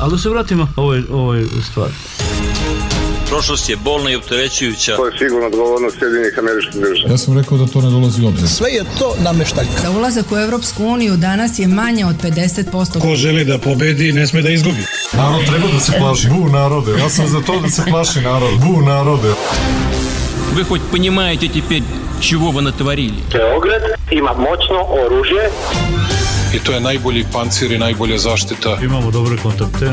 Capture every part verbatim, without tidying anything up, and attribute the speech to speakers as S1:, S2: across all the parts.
S1: Ali da se vratimo ovoj, ovoj stvari.
S2: Prošlost je bolna i opterećujuća.
S3: To je sigurno odgovornost Sjedinjenih Američkih Država.
S4: Ja sam rekao da to ne dolazi u obzir.
S5: Sve je to nameštaljka.
S6: Za ulazak u Evropsku uniju danas je manje od pedeset posto.
S7: Ko želi da pobedi, ne sme da izgubi.
S4: Narod treba da se plaši. Bu narode. Ja sam za to da se plaši narod. Bu narode.
S8: Вы хоть понимаете теперь, чего вы натворили?
S9: Beograd ima moćno oružje.
S10: I to je najbolji pancir i najbolja zaštita.
S1: Imamo dobre kontakte.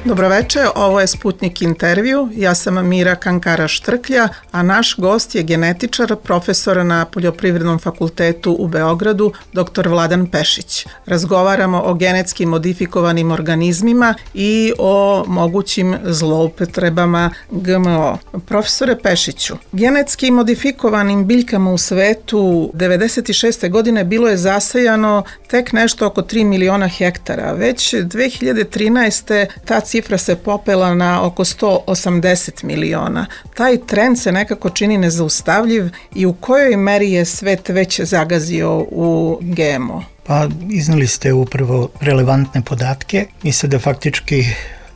S11: Dobroveče, ovo je Sputnik intervju, ja sam Mira Kankara-Štrklja, a naš gost je genetičar, profesor na Poljoprivrednom fakultetu u Beogradu, doktor Vladan Pešić. Razgovaramo o genetski modifikovanim organizmima i o mogućim zloupotrebama G M O. Profesore Pešiću, genetski modifikovanim biljkama u svetu devedeset šeste. godine bilo je zasajano tek nešto oko tri miliona hektara. Već dve hiljade trinaeste. ta cifra se popela na oko sto osamdeset miliona. Taj trend se nekako čini nezaustavljiv i u kojoj meri je svet već zagazio u G M O?
S5: Pa iznali ste upravo relevantne podatke. Mi sada faktički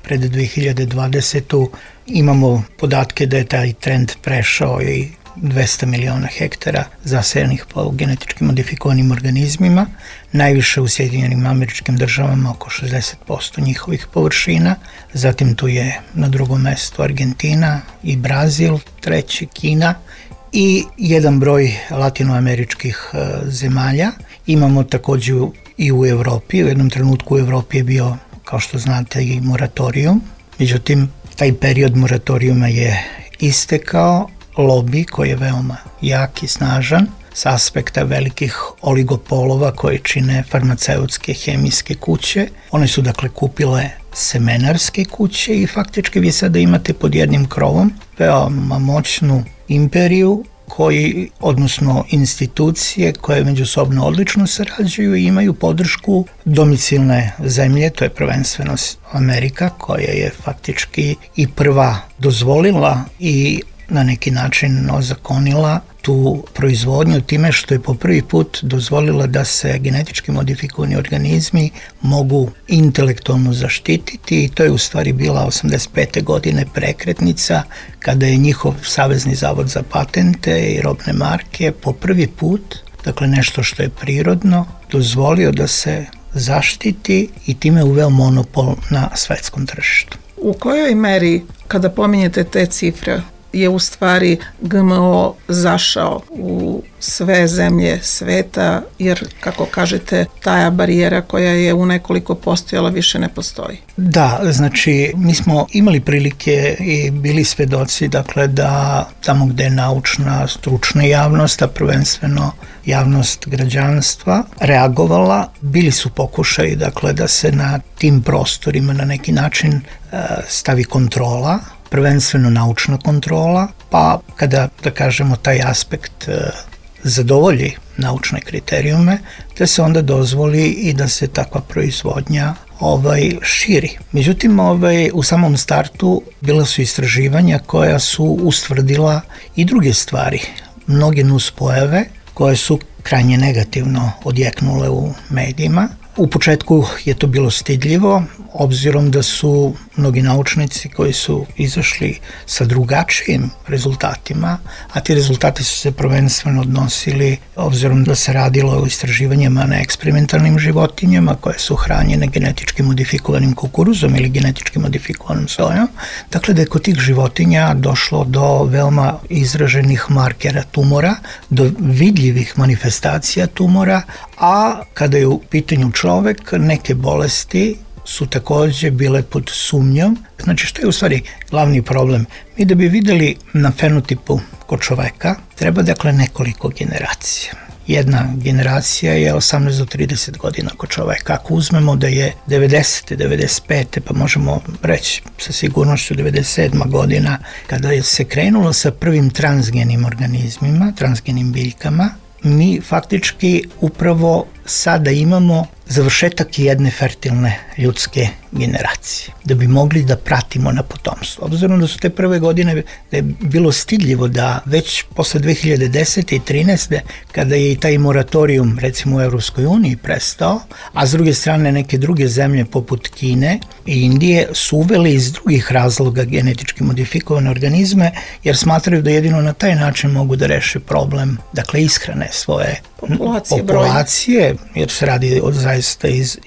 S5: pred dve hiljade dvadesete. imamo podatke da je taj trend prešao i dvesta miliona hektara zasajenih po genetički modifikovanim organizmima, najviše u Sjedinjenim Američkim Državama, oko šezdeset posto njihovih površina, zatim tu je na drugom mestu Argentina i Brazil, treći Kina i jedan broj latinoameričkih zemalja. Imamo također i u Evropi, u jednom trenutku u Evropi je bio, kao što znate, i moratorijum, međutim taj period moratorijuma je istekao. Lobi koji je veoma jak i snažan s aspekta velikih oligopolova koje čine farmaceutske hemijske kuće. One su dakle kupile semenarske kuće i faktički vi sada imate pod jednim krovom veoma moćnu imperiju koji, odnosno institucije koje međusobno odlično sarađuju i imaju podršku domicilne zemlje, to je prvenstveno Amerika koja je faktički i prva dozvolila i na neki način ozakonila tu proizvodnju time što je po prvi put dozvolila da se genetički modifikovani organizmi mogu intelektualno zaštititi i to je u stvari bila osamdeset pete. godine prekretnica kada je njihov Savezni zavod za patente i robne marke po prvi put, dakle nešto što je prirodno, dozvolio da se zaštiti i time uveo monopol na svetskom tržištu.
S11: U kojoj meri, kada pominjete te cifre, je u stvari G M O zašao u sve zemlje sveta, jer, kako kažete, taja barijera koja je u nekoliko postojala više ne postoji?
S5: Da, znači, mi smo imali prilike i bili svedoci, dakle, da tamo gde je naučna, stručna javnost, a prvenstveno javnost građanstva reagovala, bili su pokušaji, dakle, da se na tim prostorima na neki način e, stavi kontrola, prvenstveno naučna kontrola, pa kada, da kažemo, taj aspekt e, zadovolji naučne kriterijume, da se onda dozvoli i da se takva proizvodnja ovaj, širi. Međutim, ovaj, u samom startu bila su istraživanja koja su ustvrdila i druge stvari, mnoge nuspojave koje su krajnje negativno odjeknule u medijima. U početku je to bilo stidljivo, obzirom da su mnogi naučnici koji su izašli sa drugačijim rezultatima, a ti rezultati su se prvenstveno odnosili, obzirom da se radilo o istraživanjima na eksperimentalnim životinjama koje su hranjene genetički modifikovanim kukuruzom ili genetički modifikovanom sojom, dakle da je kod tih životinja došlo do veoma izraženih markera tumora, do vidljivih manifestacija tumora, a kada je u pitanju čovek, neke bolesti su također bile pod sumnjom. Znači, što je u stvari glavni problem? Mi da bi videli na fenotipu kod čoveka treba, dakle, nekoliko generacija. Jedna generacija je osamnaest do trideset godina kod čoveka. Ako uzmemo da je devedesete. devedeset pete. pa možemo reći sa sigurnošću devedeset sedma. godina, kada se krenulo sa prvim transgenim organizmima, transgenim biljkama, mi faktički upravo sada imamo završetak jedne fertilne ljudske generacije, da bi mogli da pratimo na potomstvo. Obzirom da su te prve godine da je bilo stidljivo da već posle dve hiljade desete i trinaeste kada je i taj moratorijum recimo u Evropskoj uniji prestao, a s druge strane neke druge zemlje poput Kine i Indije su uveli iz drugih razloga genetički modifikovane organizme jer smatraju da jedino na taj način mogu da reše problem, dakle ishrane svoje
S11: populacije,
S5: populacije jer se radi od zaista iz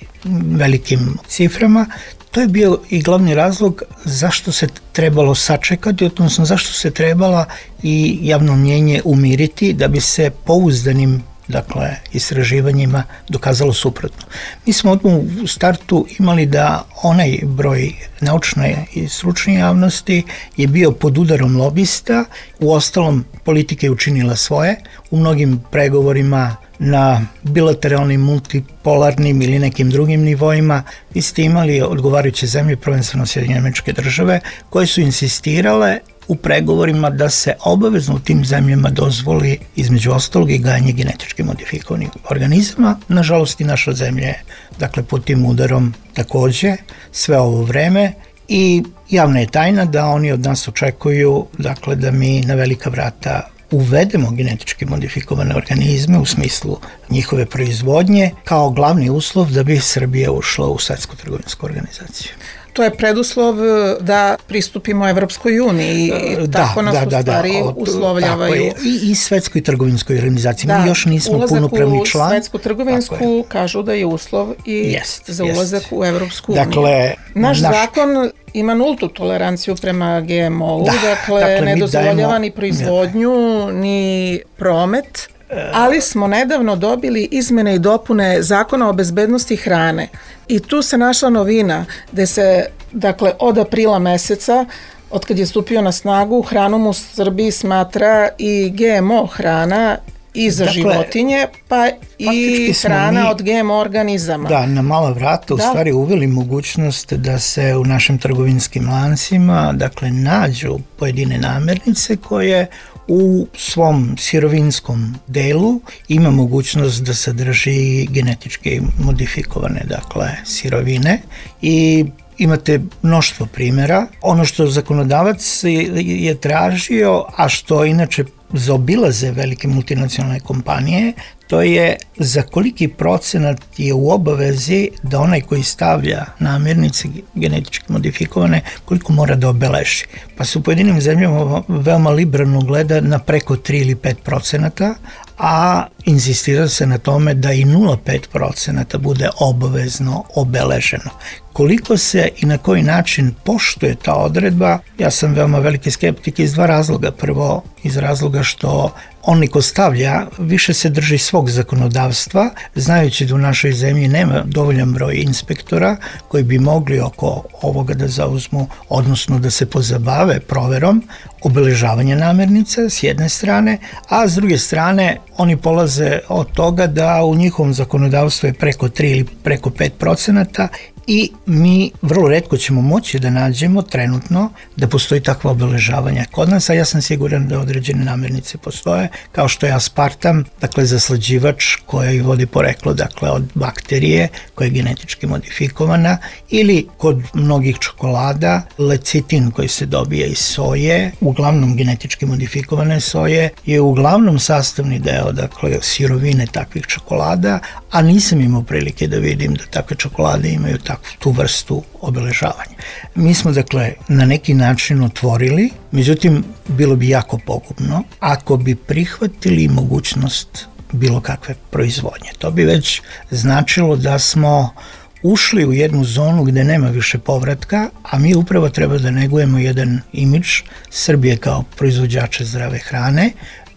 S5: velikim ciframa. To je bio i glavni razlog zašto se trebalo sačekati, odnosno zašto se trebala i javno mnjenje umiriti da bi se pouzdanim dakle, istraživanjima dokazalo suprotno. Mi smo odmah u startu imali da onaj broj naučne i stručne javnosti je bio pod udarom lobista, u ostalom politika je učinila svoje, u mnogim pregovorima na bilateralnim, multipolarnim ili nekim drugim nivoima, vi ste imali odgovarajuće zemlje, prvenstveno Sjedinjene Američke Države, koje su insistirale u pregovorima da se obavezno u tim zemljama dozvoli između ostalog i gajanje genetički modifikovanih organizama. Nažalost i naša zemlja je dakle pod tim udarom takođe sve ovo vreme i javna je tajna da oni od nas očekuju dakle da mi na velika vrata uvedemo genetički modifikovane organizme u smislu njihove proizvodnje kao glavni uslov da bi Srbija ušla u Svetsku trgovinsku organizaciju.
S11: To je preduslov da pristupimo Evropskoj uniji i
S5: da,
S11: tako nas
S5: da,
S11: u
S5: da,
S11: stvari
S5: da, od,
S11: uslovljavaju.
S5: I, I Svetskoj trgovinskoj organizaciji.
S11: Da,
S5: mi još nismo punopravni član.
S11: Ulazak u Svetsku trgovinsku kažu da je uslov i jest, za ulazak jest. u Evropsku uniju.
S5: Dakle,
S11: naš, naš zakon ima nultu toleranciju prema G M O-u, da, dakle, dakle ne dozvoljava dajemo, ni proizvodnju, ja. ni promet, ali smo nedavno dobili izmene i dopune Zakona o bezbednosti hrane i tu se našla novina gde se, dakle, od aprila meseca, od kad je stupio na snagu, hranom u Srbiji smatra i G M O hrana i za dakle, životinje, pa i hrana mi, od G M O organizama.
S5: Da, na mala vrata u da. stvari uveli mogućnost da se u našim trgovinskim lancima dakle nađu pojedine namirnice koje u svom sirovinskom delu ima mogućnost da sadrži genetički modifikovane dakle sirovine i imate mnoštvo primjera. Ono što zakonodavac je tražio, a što inače zaobilaze velike multinacionalne kompanije, to je za koliki procenat je u obavezi da onaj koji stavlja namirnice genetički modifikovane, koliko mora da obeleži. Pa se u pojedinim zemljama veoma liberalno gleda na preko tri ili pet procenata, a insistira se na tome da i nula zarez pet procenata bude obavezno obeleženo. Koliko se i na koji način poštuje ta odredba, ja sam veoma veliki skeptik iz dva razloga. Prvo, iz razloga što onaj ko stavlja više se drži svog zakonodavstva, znajući da u našoj zemlji nema dovoljan broj inspektora koji bi mogli oko ovoga da zauzmu, odnosno da se pozabave proverom obeležavanja namirnica s jedne strane, a s druge strane oni polaze od toga da u njihovom zakonodavstvu je preko tri ili preko pet procenata i mi vrlo retko ćemo moći da nađemo trenutno da postoji takva obeležavanja kod nas, a ja sam siguran da određene namirnice postoje, kao što je aspartam, dakle zaslađivač koja vodi poreklo dakle od bakterije koja je genetički modifikovana, ili kod mnogih čokolada lecitin koji se dobija iz soje, uglavnom genetički modifikovane soje, je uglavnom sastavni deo dakle sirovine takvih čokolada, a nisam imao prilike da vidim da takve čokolade imaju takvu tu vrstu obeležavanja. Mi smo dakle na neki način otvorili, međutim bilo bi jako pogubno ako bi prihvatili mogućnost bilo kakve proizvodnje. To bi već značilo da smo ušli u jednu zonu gde nema više povratka, a mi upravo treba da negujemo jedan imidž Srbije kao proizvođača zdrave hrane.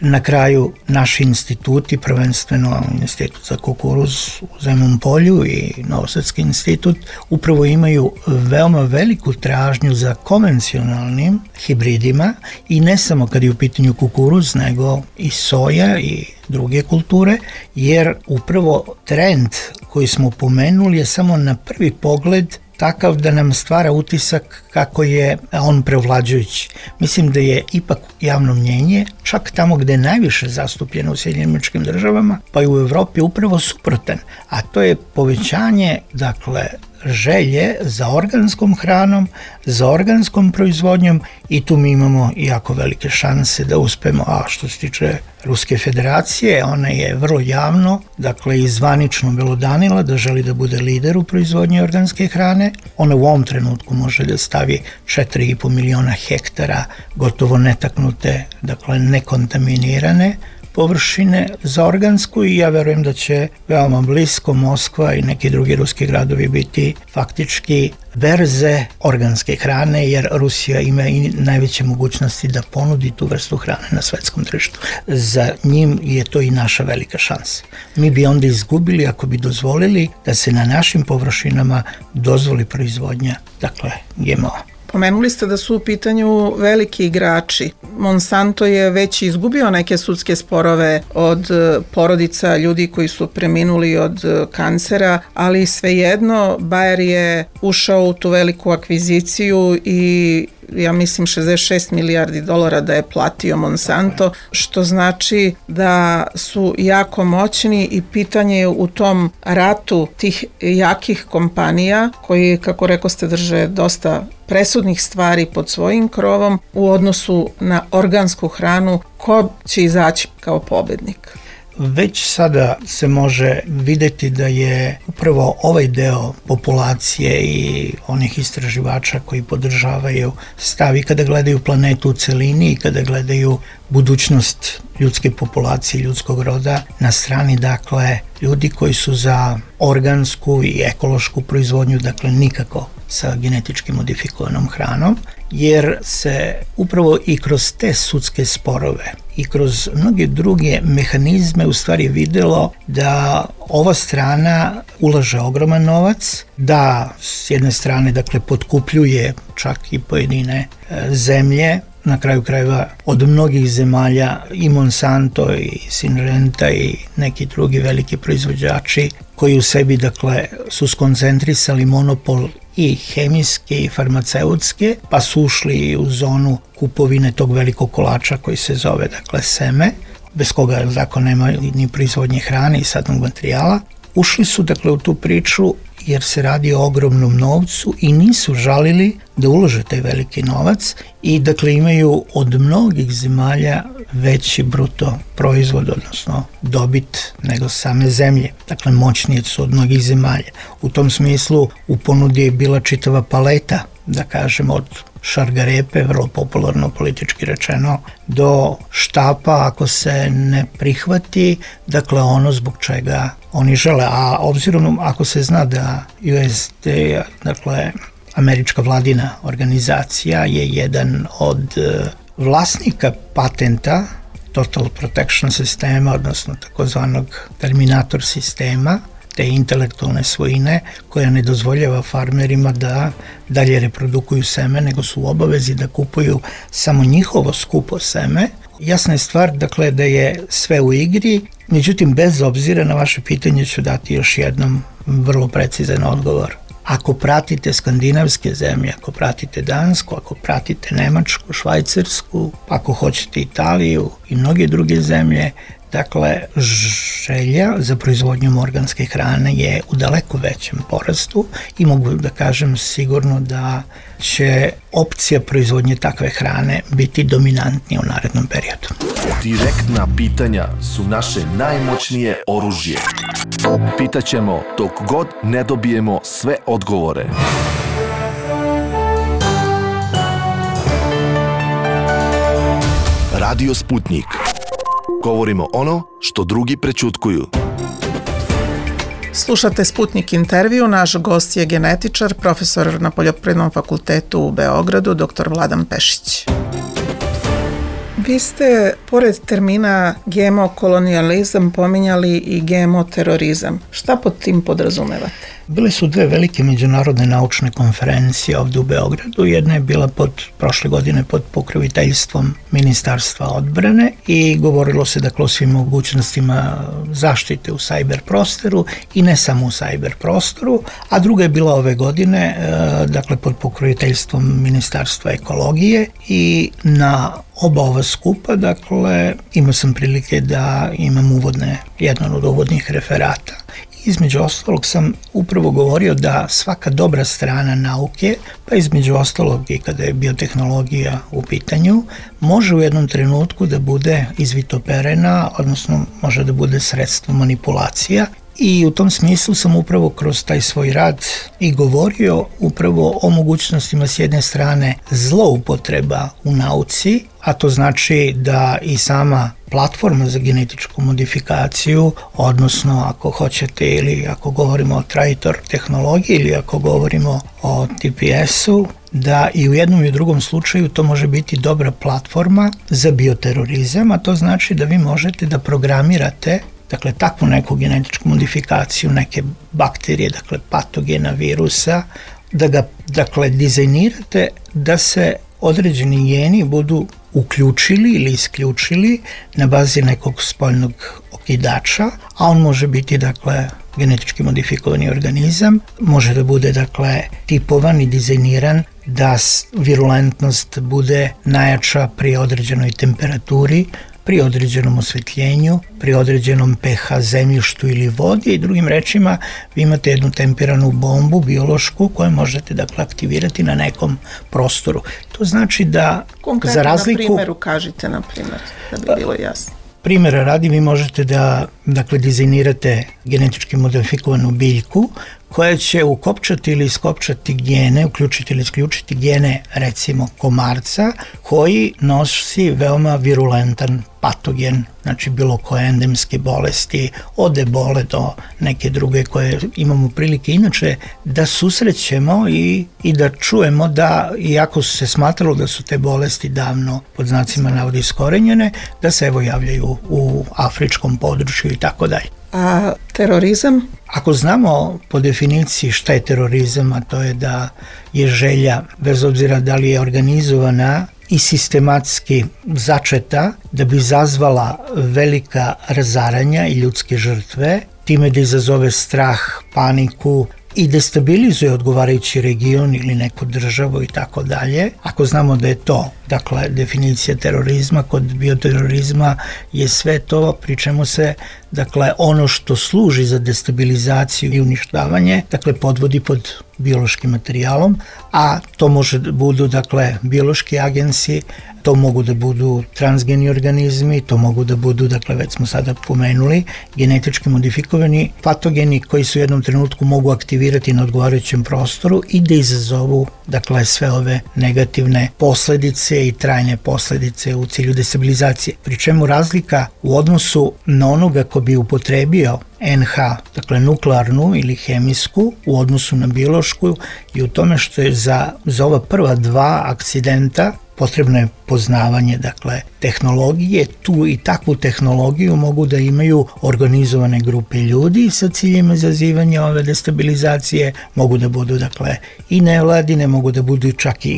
S5: Na kraju naši instituti, prvenstveno Institut za kukuruz u Zemun Polju i Novosadski institut, upravo imaju veoma veliku tražnju za konvencionalnim hibridima i ne samo kad je u pitanju kukuruz, nego i soja i druge kulture, jer upravo trend koji smo pomenuli je samo na prvi pogled takav da nam stvara utisak kako je on prevlađujući. Mislim da je ipak javno mnjenje, čak tamo gde je najviše zastupljeno u Sjedinjenim Američkim Državama, pa i u Evropi upravo suprotan, a to je povećanje, dakle, želje za organskom hranom, za organskom proizvodnjom i tu mi imamo jako velike šanse da uspemo. A što se tiče Ruske federacije, ona je vrlo javno, dakle i zvanično belodanila da želi da bude lider u proizvodnji organske hrane. Ona u ovom trenutku može da stavi četiri i po miliona hektara gotovo netaknute, dakle nekontaminirane površine za organsku i ja verujem da će veoma blisko Moskva i neki drugi ruski gradovi biti faktički berze organske hrane, jer Rusija ima i najveće mogućnosti da ponudi tu vrstu hrane na svetskom tržištu. Za njim je to i naša velika šansa. Mi bi onda izgubili ako bi dozvolili da se na našim površinama dozvoli proizvodnja, dakle, G M O.
S11: Pomenuli ste da su u pitanju veliki igrači. Monsanto je već izgubio neke sudske sporove od porodica ljudi koji su preminuli od kancera, ali svejedno Bayer je ušao u tu veliku akviziciju i ja mislim šezdeset šest milijardi dolara da je platio Monsanto, što znači da su jako moćni i pitanje je u tom ratu tih jakih kompanija koji, kako rekao ste, drže dosta presudnih stvari pod svojim krovom u odnosu na organsku hranu, ko će izaći kao pobednik?
S5: Već sada se može videti da je upravo ovaj deo populacije i onih istraživača koji podržavaju stav i kada gledaju planetu u celini i kada gledaju budućnost ljudske populacije, ljudskog roda na strani, dakle, ljudi koji su za organsku i ekološku proizvodnju, dakle, nikako sa genetički modifikovanom hranom, jer se upravo i kroz te sudske sporove i kroz mnoge druge mehanizme u stvari videlo da ova strana ulaže ogroman novac, da s jedne strane, dakle, potkupljuje čak i pojedine zemlje, na kraju krajeva od mnogih zemalja i Monsanto i Syngenta i neki drugi veliki proizvođači koji u sebi, dakle, su skoncentrisali monopol i hemijske i farmaceutske, pa su ušli u zonu kupovine tog velikog kolača koji se zove, dakle, seme, bez koga zakon nema ni proizvodnje hrane i sadnog materijala. Ušli su, dakle, u tu priču jer se radi o ogromnom novcu i nisu žalili da ulože taj veliki novac i, dakle, imaju od mnogih zemalja veći bruto proizvod, odnosno dobit, nego same zemlje. Dakle, moćnije su od mnogih zemalja. U tom smislu u ponudi je bila čitava paleta, da kažem, od šargarepe, vrlo popularno politički rečeno, do štapa ako se ne prihvati, dakle, ono zbog čega oni žele. A obzirom ako se zna da U S D, dakle, američka vladina organizacija, je jedan od vlasnika patenta Total Protection sistema, odnosno takozvanog Terminator sistema, te intelektualne svojine koja ne dozvoljava farmerima da dalje reprodukuju seme, nego su u obavezi da kupuju samo njihovo skupo seme. Jasna je stvar, dakle, da je sve u igri, međutim, bez obzira na vaše pitanje ću dati još jednom vrlo precizan odgovor. Ako pratite skandinavske zemlje, ako pratite Dansku, ako pratite Nemačku, Švajcarsku, ako hoćete Italiju i mnoge druge zemlje, dakle, želja za proizvodnjom organske hrane je u daleko većem porastu i mogu da kažem sigurno da će opcija proizvodnje takve hrane biti dominantnija u narednom periodu.
S12: Direktna pitanja su naše najmoćnije oružje. Pitaćemo dok god ne dobijemo sve odgovore. Radio Sputnik. Govorimo ono što drugi prećutkuju.
S11: Slušate Sputnik intervju, naš gost je genetičar, profesor na Poljoprivrednom fakultetu u Beogradu, doktor Vladan Pešić. Vi ste, pored termina G M O kolonijalizam, pominjali i G M O terorizam. Šta pod tim podrazumevate?
S5: Bile su dve velike međunarodne naučne konferencije ovdje u Beogradu. Jedna je bila pod, prošle godine pod pokroviteljstvom Ministarstva odbrane i govorilo se dakle o svim mogućnostima zaštite u sajber prostoru i ne samo u sajber prostoru, a druga je bila ove godine dakle pod pokroviteljstvom Ministarstva ekologije i na oba ova skupa, dakle, imao sam prilike da imam uvodne, jedan od uvodnih referata. Između ostalog sam upravo govorio da svaka dobra strana nauke, pa između ostalog i kada je biotehnologija u pitanju, može u jednom trenutku da bude izvitoperena, odnosno može da bude sredstvo manipulacija. I u tom smislu sam upravo kroz taj svoj rad i govorio upravo o mogućnostima s jedne strane zloupotreba u nauci, a to znači da i sama platforma za genetičku modifikaciju, odnosno ako hoćete ili ako govorimo o traitor tehnologiji ili ako govorimo o T P S-u, da i u jednom i u drugom slučaju to može biti dobra platforma za bioterorizam, a to znači da vi možete da programirate dakle, takvu neku genetičku modifikaciju, neke bakterije, dakle, patogena, virusa, da ga, dakle, dizajnirate da se određeni geni budu uključili ili isključili na bazi nekog spoljnog okidača, a on može biti, dakle, genetički modifikovani organizam, može da bude, dakle, tipovan i dizajniran da virulentnost bude najjača pri određenoj temperaturi, pri određenom osvetljenju, pri određenom pH zemljištu ili vodi i drugim rečima vi imate jednu temperanu bombu biološku koju možete dakle aktivirati na nekom prostoru. To znači da
S11: konkretno za razliku... na primjeru kažite na primjer, da bi bilo jasno.
S5: Primjera radi vi možete da dakle dizajnirate genetički modifikovanu biljku koja će ukopčati ili iskopčati gene, uključiti ili isključiti gene recimo komarca koji nosi veoma virulentan patogen, znači bilo koje endemske bolesti, od ebole do neke druge koje imamo prilike inače da susrećemo i, i da čujemo da, iako su se smatralo da su te bolesti davno pod znacima navodi iskorenjene, da se evo javljaju u afričkom području i tako dalje.
S11: A terorizam?
S5: Ako znamo po definiciji šta je terorizam, a to je da je želja, bez obzira da li je organizovana i sistematski začeta, da bi izazvala velika razaranja i ljudske žrtve, time da izazove strah, paniku i destabilizuje odgovarajući region ili neku državu i tako dalje. Ako znamo da je to, dakle, definicija terorizma, kod bioterorizma je sve to, pri čemu se, dakle, ono što služi za destabilizaciju i uništavanje, dakle, podvodi pod biološkim materijalom, a to može da budu, dakle, biološki agensi, to mogu da budu transgeni organizmi, to mogu da budu, dakle, već smo sada pomenuli, genetički modifikovani patogeni koji su u jednom trenutku mogu aktivirati na odgovarajućem prostoru i da izazovu, dakle, sve ove negativne posledice i trajne posledice u cilju destabilizacije. Pri čemu razlika u odnosu na onoga ko bi upotrebio N H, dakle nuklearnu ili hemijsku, u odnosu na biološku i u tome što je za, za ova prva dva akcidenta potrebno je poznavanje, dakle, tehnologije. Tu i takvu tehnologiju mogu da imaju organizovane grupe ljudi sa ciljem izazivanja ove destabilizacije, mogu da budu, dakle, i nevladine, mogu da budu čak i, i,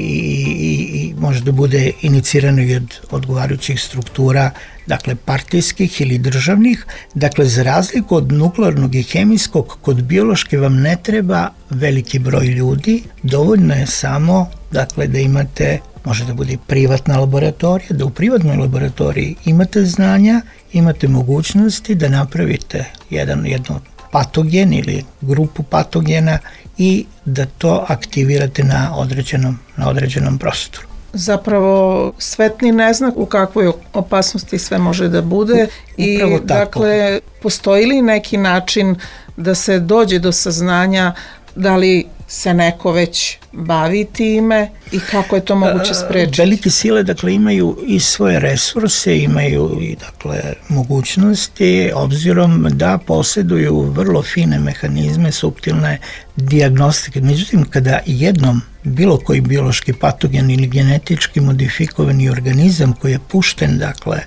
S5: i, i može da bude inicirano i od odgovarajućih struktura, dakle, partijskih ili državnih. Dakle, za razliku od nuklearnog i hemijskog, kod biološke vam ne treba veliki broj ljudi, dovoljno je samo, dakle, da imate, može da bude privatna laboratorija, da u privatnoj laboratoriji imate znanja, imate mogućnosti da napravite jedan, jedno patogen ili grupu patogena i da to aktivirate na određenom, na određenom prostoru.
S11: Zapravo svetni neznak u kakvoj opasnosti sve može da bude.
S5: Upravo
S11: i dakle postoji li neki način da se dođe do saznanja da li se neko već bavi time i kako je to moguće sprečiti?
S5: Velike sile, dakle, imaju i svoje resurse, imaju i, dakle, mogućnosti, obzirom da posjeduju vrlo fine mehanizme, suptilne dijagnostike. Međutim, kada jednom bilo koji biološki patogen ili genetički modifikovani organizam koji je pušten, dakle,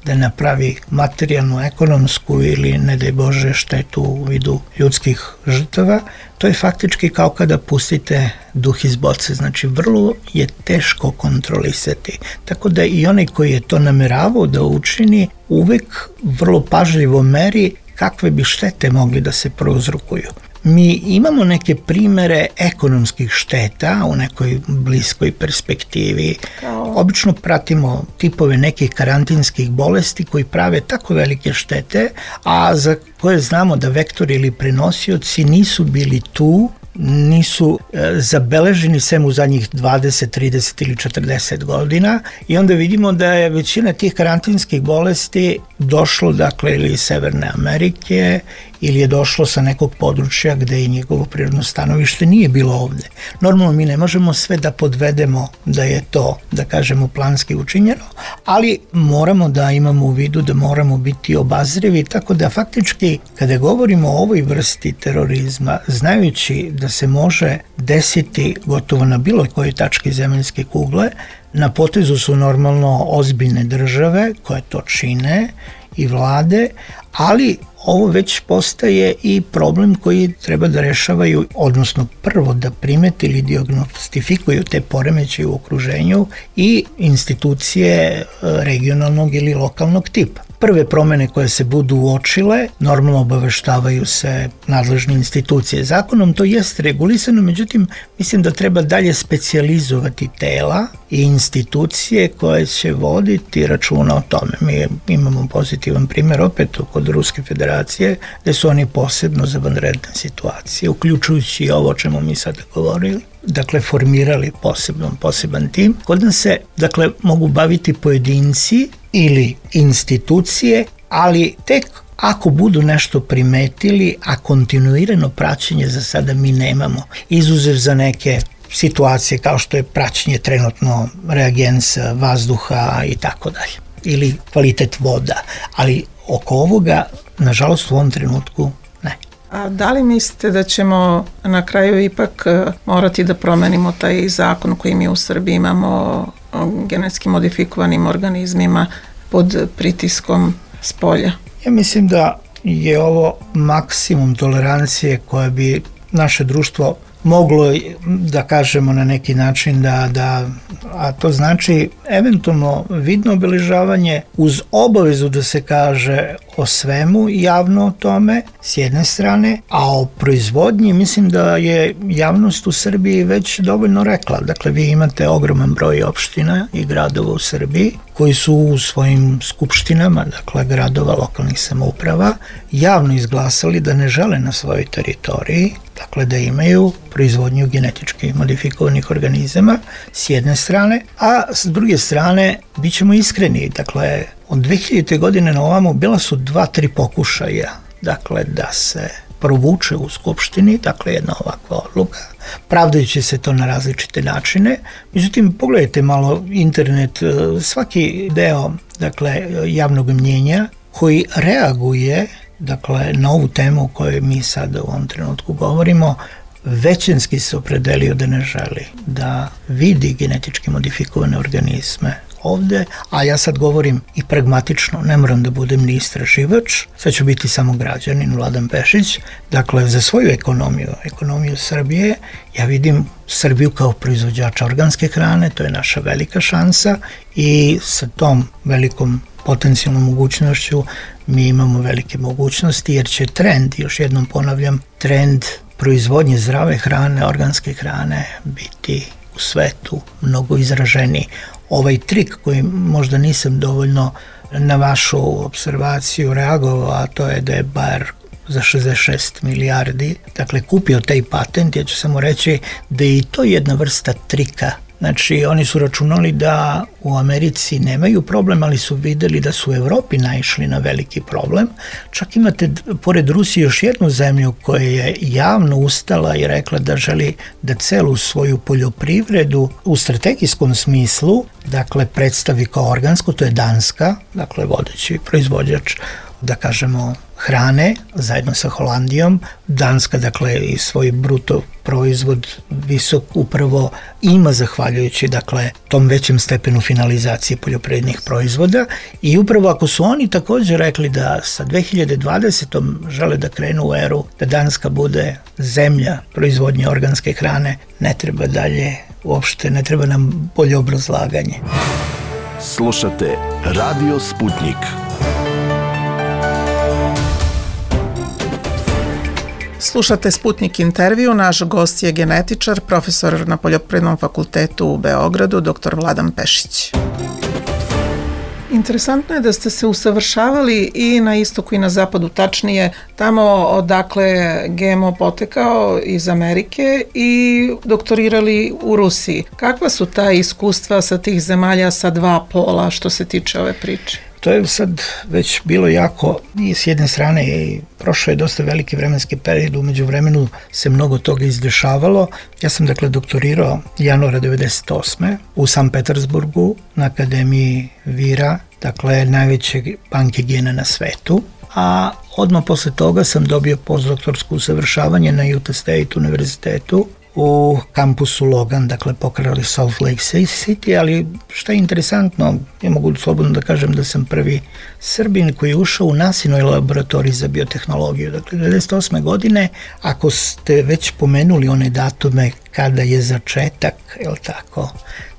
S5: da napravi materijalnu, ekonomsku ili, ne daj Bože, štetu u vidu ljudskih žrtava, to je faktički kao kada pustite duh iz boce, znači vrlo je teško kontrolisati. Tako da i onaj koji je to nameravao da učini, uvek vrlo pažljivo meri kakve bi štete mogli da se prouzrokuju. Mi imamo neke primere ekonomskih šteta u nekoj bliskoj perspektivi. Obično pratimo tipove nekih karantinskih bolesti koji prave tako velike štete, a za koje znamo da vektori ili prenosioci nisu bili tu, nisu e, zabeleženi sem u zadnjih dvadeset, trideset ili četrdeset godina i onda vidimo da je većina tih karantinskih bolesti došlo, dakle, ili iz Severne Amerike ili je došlo sa nekog područja gde i njegovo prirodno stanovište nije bilo ovde. Normalno mi ne možemo sve da podvedemo da je to, da kažemo, planski učinjeno, ali moramo da imamo u vidu da moramo biti obazrivi, tako da faktički kada govorimo o ovoj vrsti terorizma, znajući da se može desiti gotovo na bilo kojoj tački zemaljske kugle, na potezu su normalno ozbiljne države koje to čine i vlade, ali ovo već postaje i problem koji treba da rešavaju, odnosno prvo da primete ili dijagnostifikuju te poremećaje u okruženju i institucije regionalnog ili lokalnog tipa. Prve promene koje se budu uočile, normalno obaveštavaju se nadležne institucije. Zakonom to jest regulisano, međutim, mislim da treba dalje specijalizovati tela i institucije koje će voditi računa o tome. Mi imamo pozitivan primjer opet kod Ruske federacije, gde su oni posebno za vanredne situacije, uključujući i ovo o čemu mi sada govorili, dakle formirali poseban, poseban tim. Kod nas se, dakle, mogu baviti pojedinci ili institucije, ali tek ako budu nešto primetili, a kontinuirano praćenje za sada mi nemamo, izuzev za neke situacije kao što je praćenje trenutno reagensa, vazduha i tako dalje, ili kvalitet voda, ali oko ovoga, nažalost, u ovom trenutku ne.
S11: A da li mislite da ćemo na kraju ipak morati da promenimo taj zakon koji mi u Srbiji imamo o genetski modifikovanim organizmima pod pritiskom spolja?
S5: Ja mislim da je ovo maksimum tolerancije koje bi naše društvo moglo, da kažemo na neki način, da, da, a to znači eventualno vidno obeležavanje uz obavezu da se kaže o svemu javno o tome s jedne strane, a o proizvodnji mislim da je javnost u Srbiji već dovoljno rekla. Dakle, vi imate ogroman broj opština i gradova u Srbiji koji su u svojim skupštinama, dakle gradova, lokalnih samouprava, javno izglasali da ne žele na svojoj teritoriji, dakle da imaju proizvodnju genetički modifikovanih organizama s jedne strane, a s druge strane, bit ćemo iskreni, dakle od dve hiljadite godine na ovamo bila su dva, tri pokušaja, dakle da se provuče u skupštini, dakle jedna ovakva odluka, pravdajući se to na različite načine. Međutim, pogledajte malo internet, svaki deo, dakle, javnog mnjenja koji reaguje, dakle, na ovu temu o kojoj mi sada u ovom trenutku govorimo, većinski se opredelio da ne želi da vidi genetički modifikovane organizme ovde, a ja sad govorim i pragmatično, ne moram da budem ni istraživač, sad ću biti samo građanin Vladan Pešić, dakle za svoju ekonomiju, ekonomiju Srbije, ja vidim Srbiju kao proizvođača organske hrane, to je naša velika šansa i sa tom velikom potencijalnom mogućnošću mi imamo velike mogućnosti jer će trend, još jednom ponavljam, trend proizvodnje zdrave hrane, organske hrane biti u svetu mnogo izraženiji. Ovaj trik koji možda nisam dovoljno na vašu observaciju reagovao, a to je da je Bayer za šezdeset šest milijardi, dakle kupio taj patent, ja ću samo reći da je i to jedna vrsta trika. Znači, oni su računali da u Americi nemaju problem, ali su videli da su u Evropi naišli na veliki problem. Čak imate, pored Rusije, još jednu zemlju koja je javno ustala i rekla da želi da celu svoju poljoprivredu u strategijskom smislu, dakle, predstavi kao organsku, to je Danska, dakle, vodeći proizvođač, da kažemo, hrane zajedno sa Holandijom. Danska, dakle, i svoj bruto proizvod visok upravo ima zahvaljujući, dakle, tom većem stepenu finalizacije poljoprivrednih proizvoda i upravo ako su oni također rekli da sa dve hiljade dvadesetom žele da krenu u eru da Danska bude zemlja proizvodnje organske hrane, ne treba dalje uopšte, ne treba nam bolje obrazlaganje.
S12: Slušate Radio Sputnik.
S11: Slušate Sputnik intervju, naš gost je genetičar, profesor na Poljoprivrednom fakultetu u Beogradu, doktor Vladan Pešić. Interesantno je da ste se usavršavali i na istoku i na zapadu, tačnije tamo odakle G M O potekao iz Amerike i doktorirali u Rusiji. Kakva su ta iskustva sa tih zemalja sa dva pola što se tiče ove priče?
S5: To je sad već bilo jako, i s jedne strane i prošlo je dosta veliki vremenski period, umeđu vremenu se mnogo toga izdešavalo. Ja sam dakle doktorirao januara devedeset osme u Sankt Petersburgu na Akademiji Vira, dakle najveće banke gena na svetu, a odmah posle toga sam dobio postdoktorsko usavršavanje na Utah State univerzitetu u kampusu Logan, dakle pokrali Salt Lake City, ali što je interesantno, ja mogu slobodno da kažem da sam prvi Srbin koji je ušao u nasinoj laboratoriji za biotehnologiju. Dakle, devedeset osme godine, ako ste već pomenuli one datume kada je začetak, je li tako,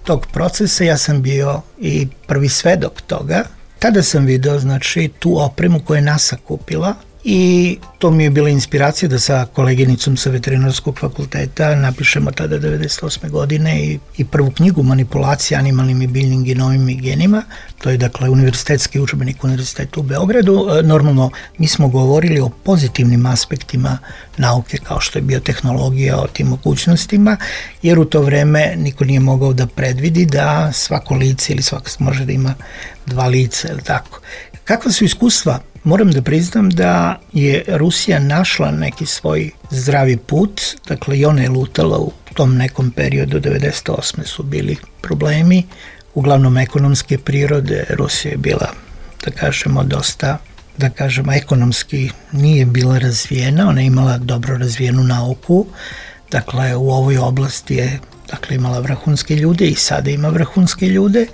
S5: tog procesa, ja sam bio i prvi svedok toga. Tada sam video, znači, tu opremu koju je NASA kupila, i to mi je bila inspiracija da sa koleginicom sa veterinarskog fakulteta napišemo tada devedeset osme godine i, i prvu knjigu Manipulacija animalnim i biljnim genomima i genima. To je dakle univerzitetski udžbenik Univerziteta u Beogradu. Normalno mi smo govorili o pozitivnim aspektima nauke kao što je biotehnologija, o tim mogućnostima, jer u to vreme niko nije mogao da predvidi da svako lice ili svako može da ima dva lica, ili tako. Kakva su iskustva? Moram da priznam da je Rusija našla neki svoj zdravi put, dakle i ona je lutala u tom nekom periodu, devedeset osme su bili problemi, uglavnom ekonomske prirode. Rusija je bila, da kažemo, dosta, da kažemo, ekonomski nije bila razvijena, ona je imala dobro razvijenu nauku, dakle u ovoj oblasti je, dakle, imala vrhunske ljude i sada ima vrhunske ljude.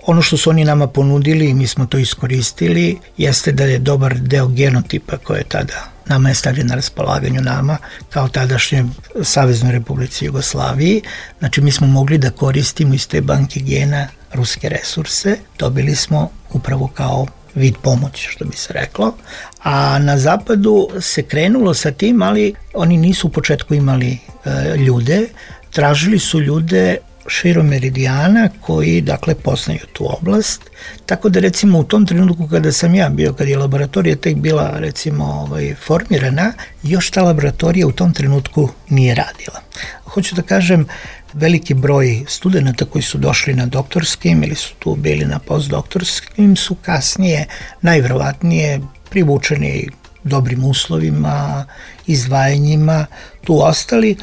S5: Ono što su oni nama ponudili i mi smo to iskoristili jeste da je dobar deo genotipa koje je tada nama je stavljen na raspolaganju nama kao tadašnje Saveznoj Republici Jugoslaviji. Znači mi smo mogli da koristimo iz te banke gena ruske resurse, dobili smo upravo kao vid pomoći, što bi se reklo. A na zapadu se krenulo sa tim, ali oni nisu u početku imali e, ljude, tražili su ljude širom meridijana koji, dakle, poznaju tu oblast. Tako da, recimo, u tom trenutku kada sam ja bio, kad je laboratorija tek bila, recimo, ovaj, formirana, još ta laboratorija u tom trenutku nije radila. Hoću da kažem, veliki broj studenta koji su došli na doktorskim ili su tu bili na postdoktorskim su kasnije, najverovatnije, privučeni dobrim uslovima, izdvajanjima, tu ostali.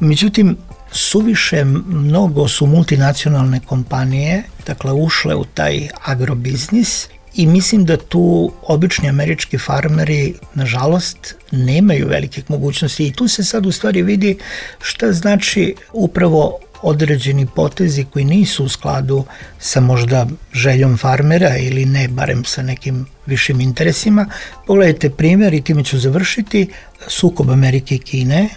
S5: Međutim, suviše mnogo su multinacionalne kompanije, dakle, ušle u taj agrobiznis i mislim da tu obični američki farmeri, nažalost, nemaju velikih mogućnosti i tu se sad u stvari vidi šta znači upravo određeni potezi koji nisu u skladu sa možda željom farmera ili ne, barem sa nekim višim interesima. Pogledajte primjer i time ću završiti, sukob Amerike i Kine.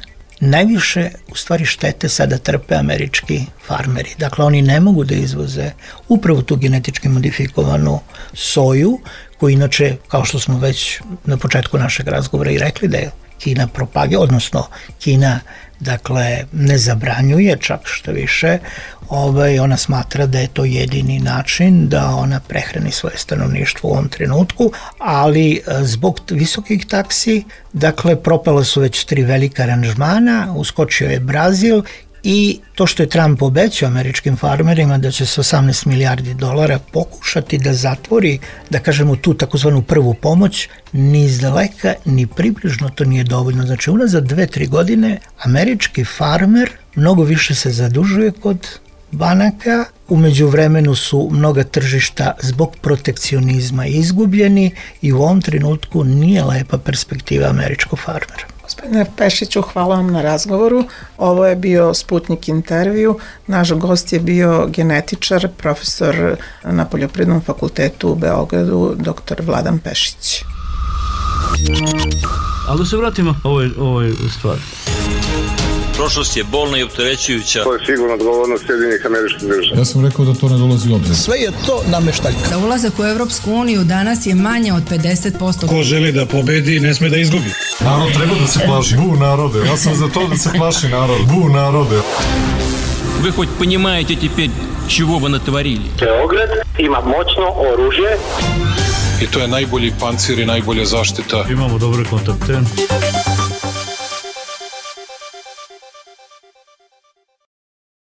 S5: Najviše, u stvari, štete sada trpe američki farmeri. Dakle, oni ne mogu da izvoze upravo tu genetički modifikovanu soju, koju inače, kao što smo već na početku našeg razgovora i rekli, da je Kina propage, odnosno Kina, dakle, ne zabranjuje, čak što više, ovaj, ona smatra da je to jedini način da ona prehrani svoje stanovništvo u ovom trenutku, ali zbog visokih taksi, dakle, propala su već tri velika aranžmana, uskočio je Brazil i to što je Trump obećao američkim farmerima da će se osamnaest milijardi dolara pokušati da zatvori, da kažemo, tu takozvanu prvu pomoć, ni izdaleka, ni približno to nije dovoljno. Znači, unazad dve, tri godine američki farmer mnogo više se zadužuje kod banaka. U međuvremenu su mnoga tržišta zbog protekcionizma izgubljeni i u ovom trenutku nije lepa perspektiva američkog farmera.
S11: Gospodine Pešiću, hvala vam na razgovoru. Ovo je bio Sputnik intervju. Naš gost je bio genetičar, profesor na Poljoprivrednom fakultetu u Beogradu, doktor Vladan Pešić.
S1: Ali da se vratimo ovoj, ovoj stvari.
S2: Prošlost je bolna i opterećujuća.
S3: To je sigurno odgovornost Sjedinjenih Američkih Država.
S4: Ja sam rekao da to ne dolazi u obzir.
S6: Sve je to nameštaljka. Za ulazak u Evropsku uniju danas je manje od pedeset posto.
S7: Ko želi da pobedi, ne sme da izgubi.
S4: Narod treba da se plaši. Bu narode. Ja sam za to da se plaši narod. Bu narode.
S8: Вы хоть понимаете теперь, чего вы натворили?
S9: Beograd ima moćno oružje.
S10: I to je najbolji pancir i najbolja zaštita.
S1: Imamo dobre kontakte.